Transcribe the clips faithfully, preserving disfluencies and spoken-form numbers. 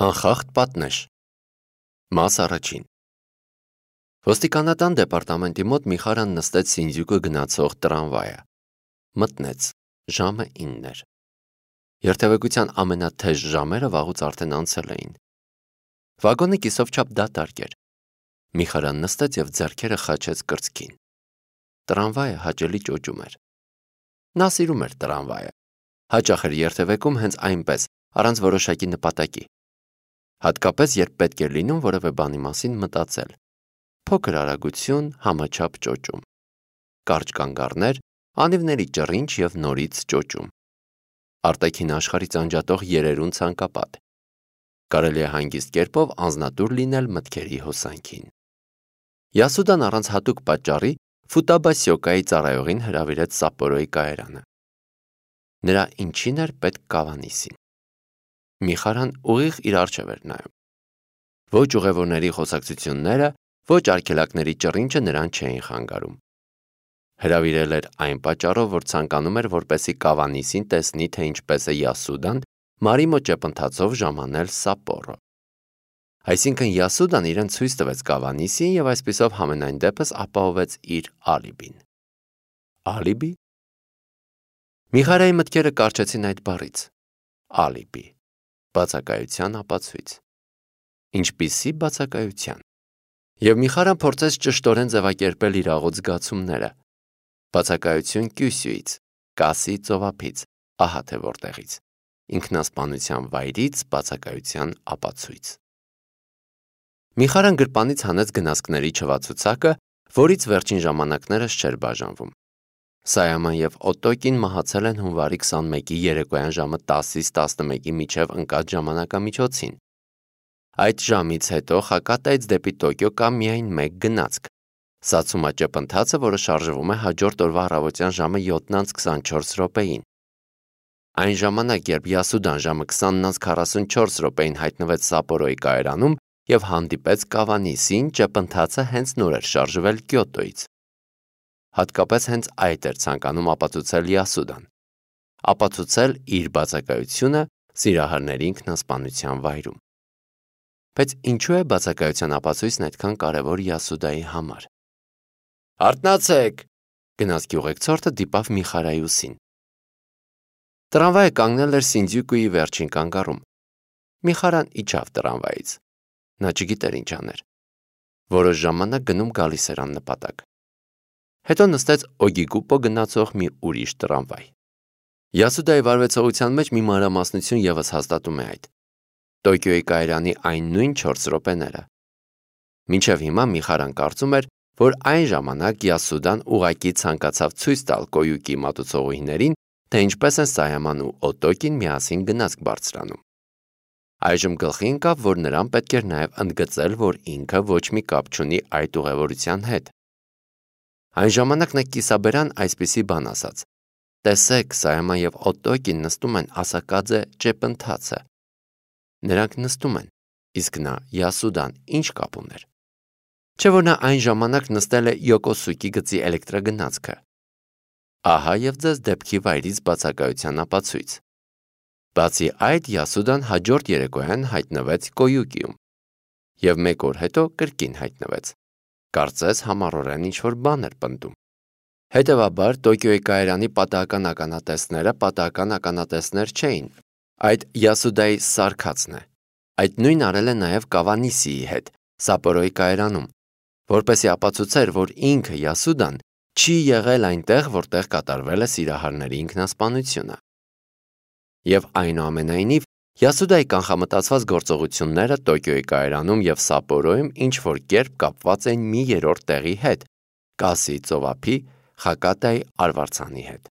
Անխախտ պատնեշ։ Մաս առաջին։ Ոստիկանական դեպարտամենտի մոտ Միխարան նստեց Սինդյուկը գնացող տրամվայը։ Մտնեց, ժամը ինն էր։ Երթևեկության ամենաթեժ ժամերը վաղուց արդեն անցել էին։ Վագոնը կիսովչափ դատարկ էր։ Միխարան նստեց և ձեռքերը խաչեց կրծքին։ Տրամվայը հաճելի ճոճում էր։ Նա սիրում էր տրամվայը։ Հաճախ էր երթևեկում հենց այնպես, առանց որոշակի նպատակի։ Հատկապես, երբ պետք էր լինում որևէ բանի մասին մտածել։ Փոքր արագություն, համաչափ ճոճում։ Կարճ կանգառներ, անիվների ճռինչ և նորից ճոճում։ Արտաքին աշխարհից անջատող երերուն ցանկապատ։ Կարելի է հանգիստ կերպով անձնատուր լինել մտքերի հոսանքին։ Յասուդան առանց հատուկ պատճառի Ֆուտաբասյոկայի ծառայողին հրավիրեց Սապորոյի կայարանը։ Նրա ինչին էր պետք Կավանիսին։ Միխարան ուղիղ իր առջև էր նայում։ Ոչ ուղևորների խոսակցությունները, ոչ արգելակների ճռինչը նրան չէին խանգարում։ Հրավիրել էր այն պատճառով, որ ցանկանում էր, որպեսզի Կավանիսին տեսնի, թե ինչպես է Յասուդան Մարիմո ճեպընթացով ժամանել Սապորո։ Այսինքն Յասուդան իրեն ցույց տվեց Կավանիսին և այսպիսով համենայն դեպս ապահովեց իր ալիբին։ Ալիբի։ Միխարայի մտքերը կառչեցին այդ բառից։ Ալիբի։ Բացակայության ապացույց։ Ինչպիսի բացակայության։ Եվ Միխարան փորձեց ճշտորեն ձևակերպել իր աղոտ զգացումները։ Բացակայություն Կյուսյուից, Կասի ծովափից, ահա թե որտեղից։ Ինքնասպանության վայրից բացակայության ապացույց։ Միխարան գրպանից հանեց գնացքների չվացուցակը, որից վերջին ժամանակներս չէր բաժանվում։ Սայաման և Օտոկին մահացել են հունվարի քսանմեկի երեկոյան ժամը տասից տասնմեկի միջև ընկած ժամանակամիջոցին։ Այդ ժամից հետո Խակատայից դեպի Տոկիո կա միայն մեկ գնացք։ Սացումա ճեպընթացը, որը շարժվում է հաջորդ օրվա առավոտյան ժամը յոթն անց քսանչորս րոպեին։ Այն ժամանակ, երբ Յասուդան ժամը քսանն անց քառասունչորս րոպեին հայտնվեց Սապորոյի կայարանում և հանդիպեց Կավանիսին, ճեպընթացը հենց նոր էր շարժվել Կյոտոյից։ Հատկապես հենց այդ էր ցանկանում ապացուցել Յասուդան։ Ապացուցել իր բացակայությունը սիրահարների ինքնասպանության վայրում։ Բայց ինչու է բացակայության ապացույցն այդքան կարևոր Յասուդայի համար։ Արթնացեք, գնացքի ուղեկցորդը դիպավ Միխարայի ուսին։ Տրամվայը կանգնել էր Սինդյուկուի վերջին կանգառում։ Միխարան իջավ տրամվայից։ Նա չգիտեր ինչ աներ։ Որոշ ժամանակ գնում գալիս էր աննպատակ։ Հետո նստեց Օգիգուպո գնացող մի ուրիշ տրամվայ։ Յասուդայի վարվեցողության մեջ մի մանրամասնություն ևս հաստատում է այդ։ Տոկիոյի կայարանի այն նույն չորս րոպեները։ Մինչև հիմա Միխարան կարծում էր, որ այն ժամանակ Յասուդան ուղղակի ցանկացավ ցույց տալ Կոյուկի մատուցողուհիներին, թե ինչպես են Սայաման ու Օտոկին միասին գնացք բարձրանում։ Այժմ գլխի ընկավ, որ նրան պետք էր նաև ընդգծել, որ ինքը ոչ մի կապ չունի այդ ուղևորության հետ։ Այն ժամանակ նա կիսաբերան այսպիսի բան ասաց. տեսեք, Սայաման և Օտոկին նստում են Ասակաձե ճեպընթացը։ Նրանք նստում են, իսկ նա Յասուդան ինչ կապ ուներ։ Չէ՞ որ նա այն ժամանակ նստել է Յոկոսուկի գծի էլեկտրագնացքը։ Ահա և ձեզ դեպքի վայրից բացակայության ապացույց։ Բացի այդ, Յասուդան հաջորդ երեկոյան հայտնվեց Կոյուկիում և մեկ օր հետո կրկին հայտնվեց։ Կարծես համառորեն ինչ-որ բան էր պնդում։ Հետևաբար, Տոկիոյի կայարանի պատահական ականատեսները պատահական ականատեսներ չէին։ Այդ Յասուդայի սարքածն է։ Այդ նույնն արել է նաև Կավանիսիի հետ, Սապորոյի կայարանում, որպեսզի ապացուցեր, որ ինքը Յասուդան չի եղել այնտեղ, որտեղ կատարվել է սիրահարների ինքնասպանությունը։ Եվ այնուամենայնիվ, Յասուդայի կանխամտածված գործողությունները Տոկիոյի կայարանում և Սապորոյում ինչ-որ կերպ կապված էին մի երրորդ տեղի հետ՝ Կասի ծովափի Խակատայի արվարձանի հետ։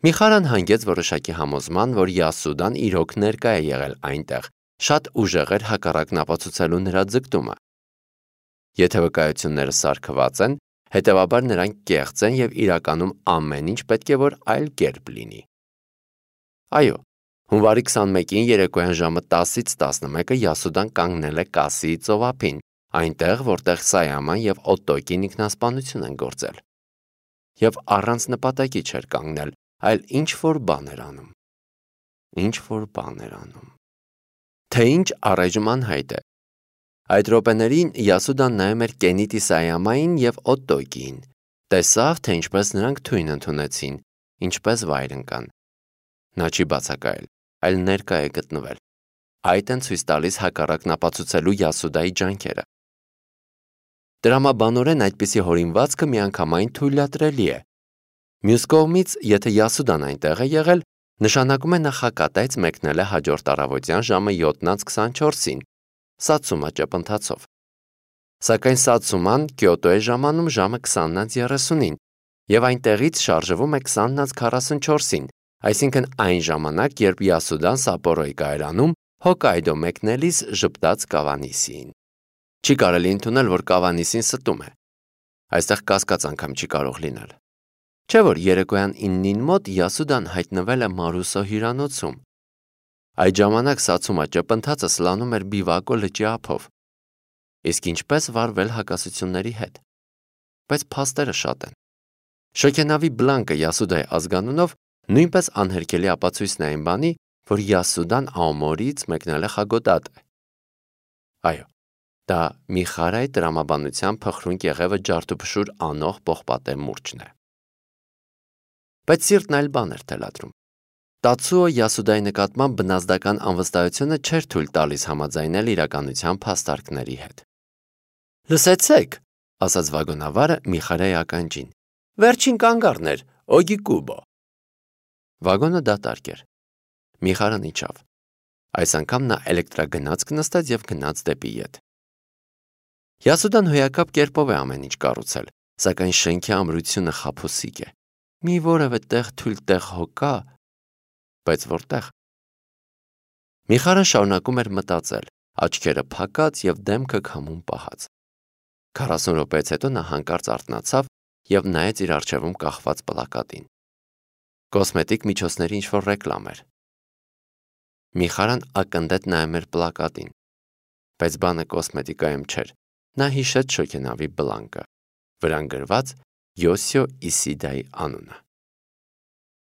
Միխարան հանգեց որոշակի համոզման, որ Յասուդան իրոք ներկա է եղել այնտեղ, շատ ուժեղ էր հակառակն ապացուցելու նրա ձգտումը։ Եթե վկայությունները սարքված են, հետևաբար նրանք կեղծ են և իրականում ամեն ինչ պետք է որ այլ կերպ լինի։ Այո, հունվարի քսանմեկին երեկոյան ժամը տասից տասնմեկը Յասուդան կանգնել է Կասիի ծովափին, այնտեղ, որտեղ Սայաման և Օտոկին ինքնասպանություն են գործել։ Եվ առանց նպատակի չէր կանգնել, այլ ինչ-որ բան էր անում։ Ինչ-որ բան էր անում։ թե ինչ առայժմ անհայտ է։ Այդ րոպեներին Յասուդան նայում էր Կենիտի Սայամային և Օտտոկիին, տեսավ, թե ինչպես նրանք թույն ընդունեցին, ինչպես վայր ընկան։ Նա չի բացակայել, այլ ներկա է գտնվել։ Այդ են ցույց տալիս հակառակն ապացուցելու Յասուդայի ջանքերը։ Տրամաբանորեն այդպիսի հորինվածքը միանգամայն թույլատրելի է։ Մյուս կողմից, եթե Յասուդան այնտեղ է եղել, նշանակում է նախակատայց մեկնել է հաջորդ առավոտյան ժամը յոթ քսանչորսին, Սացումա ճեպընթացով։ Սակայն Սացուման Կիոտո է ժամանում ժամը քսան երեսունին և այնտեղից շարժվում է քսան քառասունչորսին, այսինքն այն ժամանակ, երբ Յասուդան Սապորոյի կայարանում Հոկայդո մեկնելիս ժպտաց Կավանիսիին։ Չի կարելի ընդունել, որ Կավանիսին ստում է։ Այստեղ կասկած անգամ չի կարող լինել։ Չէ՞ որ երեկոյան իննին մոտ Յասուդան հայտնվել է Մարուսո հյուրանոցում։ Այդ ժամանակ Սացումա ճեպընթացը սլանում էր Բիվակո լճի ափով։ Իսկ ինչպես վարվել հակասությունների հետ։ Բայց փաստերը շատ են։ Շոգենավի Բլանկը Յասուդայի ազգանունով նույնպես անհերքելի ապացույցն է այն բանի, որ Յասուդան Աոմորից մեկնել է Խագոդատե։ Այո, դա Միխարայի տրամաբանության փխրուն կեղևը ջարդուփշուր անող պողպատե մուրճն է։ Բայց սիրտն այլ բան էր թելադրում։ Տացուո Յասուդայի նկատմամբ բնազդական անվստահությունը չէր թույլ տալիս համաձայնել իրականության փաստարկների հետ։ Լսեցեք, ասաց վագոնավարը Միխարայի ականջին։ Վերջին կանգառն էր, Օգիկուբո։ Վագոնը դատարկ էր։ Միխարան իջավ։ Այս անգամ նա էլեկտրագնացք նստեց և գնաց դեպի ետ։ Յասուդան հոյակապ կերպով է ամեն ինչ կառուցել, սակայն շենքի ամրությունը խաբուսիկ է։ Մի որևէ տեղ թույլ տեղ հո կա, բայց որտեղ։ Միխարան շարունակում էր մտածել, աչքերը փակած և դեմքը քամուն պահած։ քառասուն րոպեից հետո նա հանկարծ արթնացավ և նայեց իր առջևում կախված պլակատին։ Կոսմետիկ միջոցների ինչ-որ ռեկլամ էր։ Միխարան ակնթեթ նայում էր պլակատին, բայց բանը կոսմետիկայում չէր։ Նա հիշեց շոգենավի Բլանկը, վրան գրված Յոսիո Իսիդայի անունը։